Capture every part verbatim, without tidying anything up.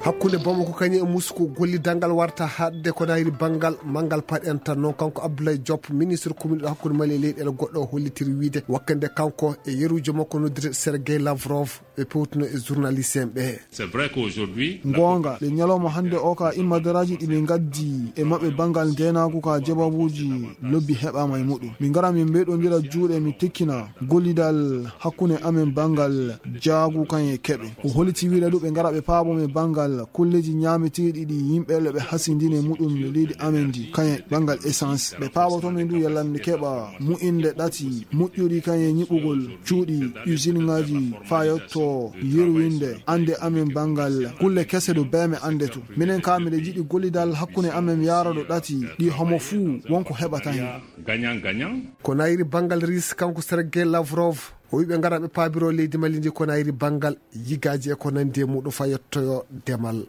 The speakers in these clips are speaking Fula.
Hakkunde Bamako kañum e Musuku, gollidal ngal warta haɗde ko nayri banngal manngal paɗ en tan. Noon kanko Abdoulaye Diop, ministre kuminɗo hakkunde Mali e leyɗeele goɗɗo, o hollitiri wiyde wakkande kanko e yeruujo makko noddirde Sergei Lavrov ɓe pewtuno e journaliste en ɓe. C'est vrai qu'aujourd'hui, goonga, le ñalawma hannde o ka immadaraaji ɗi ɓe ngaddi e maɓɓe banngal ndeenaagu ka jababuuji lobbi heɓaama e muɗum. Min ngara min mbeyɗondira juuɗe, min tekkina gollidal hakkunde amen banngal jaagu kan e keɓe. O holiti wiide ɗum ɓe ngara ɓe paabo men banngal kulleeji ñaameteeɗi ɗi yimɓe le ɓe hasindini e muɗum e leydi amen ndi, kan e banngal essence. Ɓe paaboto men ndu yalla min keɓa mu'inde ɗati moƴƴuɗi kan e ñiɓugol cuuɗi usine ngaji faa yotto yerwinde annde amen banngal kulle kese ɗo beeme annde to. Minen ka miɗe jiɗi gollidal hakkunde amen yaara ɗo ɗati ɗi homo fuu wonko heɓata hen. Gagnant, gagnant. Ko nayri banngal Riisi, kanko Sergei Lavrov, o wiɓe ngara ɓe paabiro leydi Mali ndi ko nayri banngal yigaaji e ko nandi e muɗum faa yottoyo demal.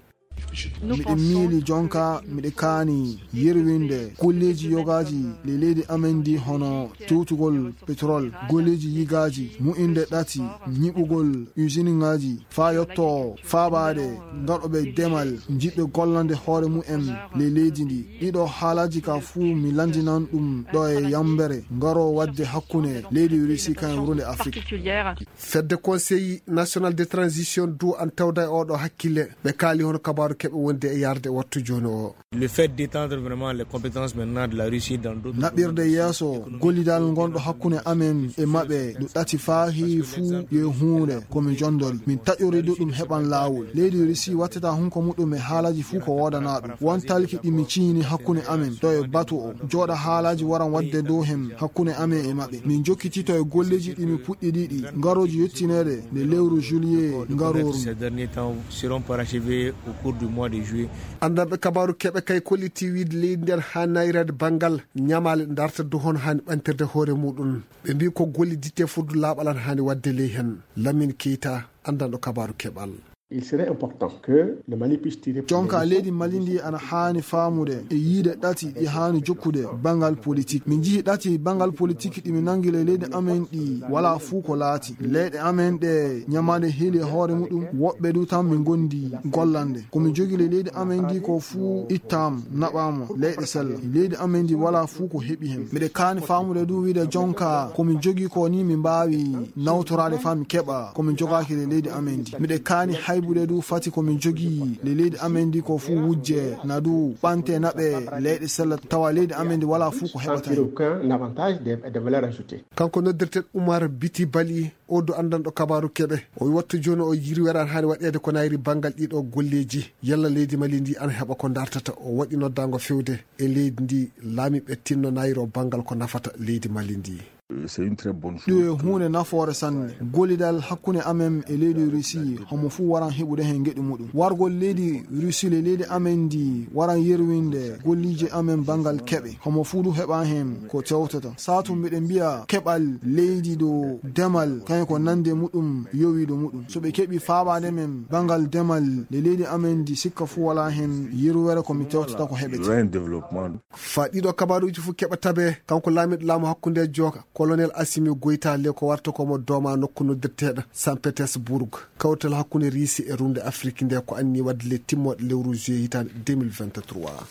Miɗe miili jonka, miɗe kaani yerwinde golleeji yogaaji le leydi amen ndi, hono tewtugol petrol, golleeji yigaaji, mu'inde ɗati, ñiɓugol usine ngaji, faa yotto faabaade ngaɗooɓe demal, jiɗɓe gollande hoore mumen le leydi ndi. Ɗiɗo haalaaji ka fuu mi lanndinan ɗum ɗo e yambere ngaro waɗde hakkunde leydi Russie kan e wurnde Afrique. Fedde Conseil National de Transition du an tawda e oɗo hakkille. Ɓe kaali hono kabaaru keɓe wonde e yarde e wattu jooni o. Le fait d'étendre vraiment les compétences maintenant de la Russie dans d'autres Naɓirde yeeso gollidal ngonɗo hakkunde amen e maɓɓe ɗo ɗati faa heewi fuu yo huunde ko mi jondori. Min taƴori ɗum heɓan laawol. Leydi Russie wattata hunko muɗum e haalaaji fuu ko woodanaa ɗum. Won talki ɗi mi ciini hakkunde amen ɗo e batu o. Jooɗa haalaaji waran waɗde dow hem hakkunde amen e maɓɓe. Min jokkitito e golleeji ɗi mi puɗɗi ɗiɗi. Ngarooji yettineede nde lewru juillet ngarooru. Ces derniers temps seront parachevés au cours du mois de juillet. Anndanɓe kabaaru keɓe kay kolliti wiide leydi ndi ana haani nayreede banngal ñamaale darta du hono haani ɓantirde hoore muɗum. Ɓe mbii ko golliditte fodde laaɓal ana haani waɗde ley hen. Lamine Keita, anndanɗo kabaaru keɓal. Il serait important que le Mali puisse tirer Jonka leydi Mali ndi ana haani faamude e yiide ɗati ɗi haani jokkude banngal politique. Min njihi ɗati banngal politique ɗi min nangi le leydi amen ɗi walaa fuu ko laati. Leyɗe amen ɗe ñamaande heeli e hoore muɗum, woɓɓe du tan min ngondi gollande. Ko min jogi le leydi amen ndi ko fuu ittaama, naɓaama, leyɗe sella. Leydi amen ndi walaa fuu ko heɓi hen. Miɗe kaani faamude du wiide jonka ko min jogi ko ni min mbaawi nawtoraade faa min keɓa ko min jogaaki le leydi amen ndi. Miɗe kaani haybude du fati ko min jogi le leydi amen ndi ko fuu wujje na du ɓante naɓe leyɗe sella tawa leydi amen ndi walaa fuu ko heɓata hen. Aucun avantage de, de valeur ajoutée. Kanko noddirten Umar Biti Bali, o du anndanɗo kabaaru keɓe. O wi wattu jooni o yirwere ana haani waɗeede ko nayri banngal ɗiɗo golleeji. Yalla leydi Mali ndi ana heɓa ko dartata? O waɗi noddaango fewde e leydi ndi, laamiiɓe tinno nayro banngal ko nafata leydi Mali ndi. C'est une très bonne chose. Ɗum e huunde nafoore sanne. Gollidal hakkunde amen e leydi Russie, homo fuu waran heɓude heen geɗu muɗum. Wargol leydi Russie le leydi amen ndi waran yerwinde golliije amen banngal keɓe. Homo fuu du heɓa heen ko tewtata. Saatu mbiɗen mbiya keɓal leydi ɗo demal, kañum ko nande muɗum yowiiɗo muɗum. So ɓe keɓi faabaade men banngal demal le leydi amen ndi, sikka fuu walaa heen yerwere ko mi tewtata ko heɓete. Rien développement. Faa ɗiɗo kabaaruuji fof keɓa tabe, kanko laamiiɗo laamu hakkunde jooka, Colonel Assimi Goïta, le ko warta ko mo dooma nokku noddirteeɗo Saint Petersburg. Kawtal hakkunde Riisi e rumde Afrik nde ko anni waɗde le timmooɗe lewru juillet hitaande deux mille vingt-trois.